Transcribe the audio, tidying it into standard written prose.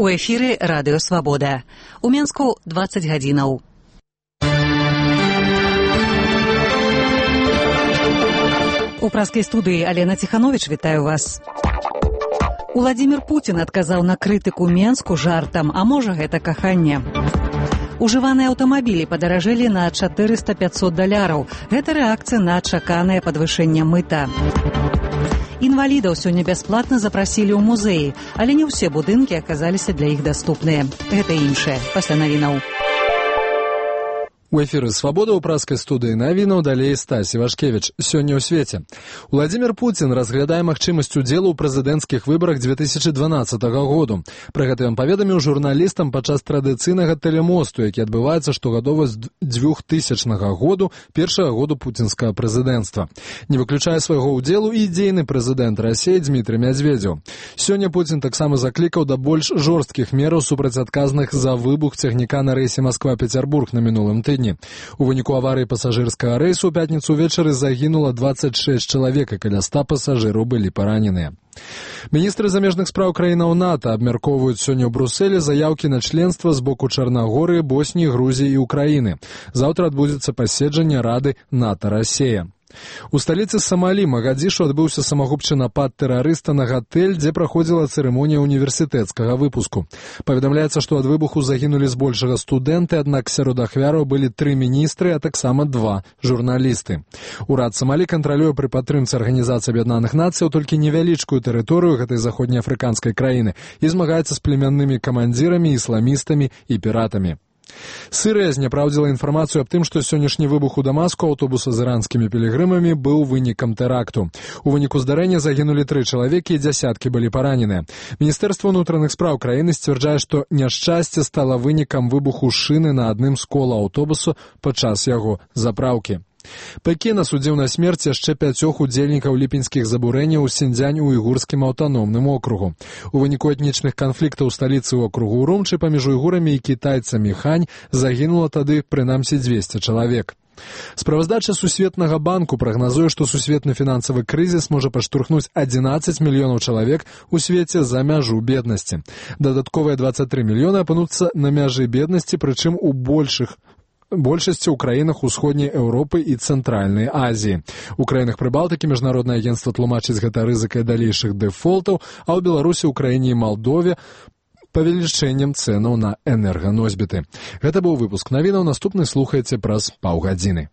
У эфіры радыё «Свабода». У Менску 20 гадзінаў. У праскай студыі Алена Ціхановіч вітаю вас. Уладзімір Пуцін адказаў на крытыку Менску жартам, а можа гэта каханне. Ужываныя аўтамабілі падаражэлі на $400–500. Гэта рэакцыя на чаканае падвышэнне мыта. Інвалідаў сёння бясплатна запрасілі ў музеі, але не ўсе будынкі аказаліся для іх даступныя. Гэта іншае пасля навінаў. У эфіры «Свабода» ў праскай студыі навінаў далей Стась Івашкевіч. Сёння ў свеце. Уладзімір Пуцін разглядае магчымасць удзелу ў прэзідэнцкіх выбарах 2012 году. Пра гэта ён паведаміў журналістам падчас традыцыйнага тэлемосту, які адбываецца штогадова з 2000 году, першага году пуцінскага прэзідэнцтва. Не выключае свайго ўдзелу і дзейны прэзідэнт Расіі Дмітрый Медведзеў. Сёння Пуцін таксама заклікаў да больш жорсткіх мераў супраць адказных за выбух цягніка на рэйсе Масква-Пецярбург на мінулым тыдні. У выніку аварыі пасажырскага рэйсу ў пятніцу ўвечары загінула 26 чалавек, і каля 100 пасажыраў былі параненыя. Міністры замежных спраў краінаў НАТО абмяркоўваюць сёння ў Брусэлі заяўкі на членства з боку Чарнагорыі, Босніі, Грузіі і Украіны. Заўтра адбудзецца паседжанне Рады НАТО-Расія. У сталіцы Самалі, Магадзішу, адбыўся самагубчы напад тэрарыста на гатэль, дзе праходзіла цырымонія універсітэцкага выпуску. Паведамляецца, што ад выбуху загінулі збольшага студэнты, аднак сярод ахвяраў былі 3 міністры, а таксама 2 журналісты. Урад Самалі кантралюе пры падтрымцы Арганізацыі Аб'яднаных Нацыяў толькі невялічкую тэрыторыю гэтай заходнеафрыканскай краіны і змагаецца з племяннымі камандзірамі, ісламістамі і піратамі. Сырыя зняпраўдзіла інфармацыю аб тым, што сённяшні выбух у Дамаску аўтобуса з іранскімі пілігрымамі быў вынікам тэракту. У выніку здарэння загінулі 3 чалавекі і дзясяткі былі параненыя. Міністэрства ўнутраных спраў краіны сцвярджае, што няшчасце стала вынікам выбуху шыны на адным з кола аўтобусу падчас яго запраўкі. Пекін асудзіў на смерць яшчэ 5 удзельнікаў ліпеньскіх забурэнняў у Сіньцзянь у уйгурскім аўтаномным округу. У выніку этнічных канфліктаў у сталіцы округу Урумчы паміж уйгурамі і кітайцамі Хань загінула тады прынамсі 200 чалавек. Справаздача Сусветнага банку прагназуе, што сусветны фінансавы крызіс можа падштурхнуць 11 мільёнаў чалавек у свеце за мяжу беднасці. Дадатковыя 23 мільёны апынуцца на мяжы беднасці, прычым у большасці ў краінах усходняй Еўропы і Цэнтральнай Азіі. У краінах Прыбалтыкі міжнароднае агенцтва тлумачыць гэта рызыкай далейшых дэфолтаў, а ў Беларусі, Украіне і Малдове павелічэннем цэнаў на энерганосьбіты. Гэта быў выпуск навінаў, наступны слухаеце праз паўгадзіны.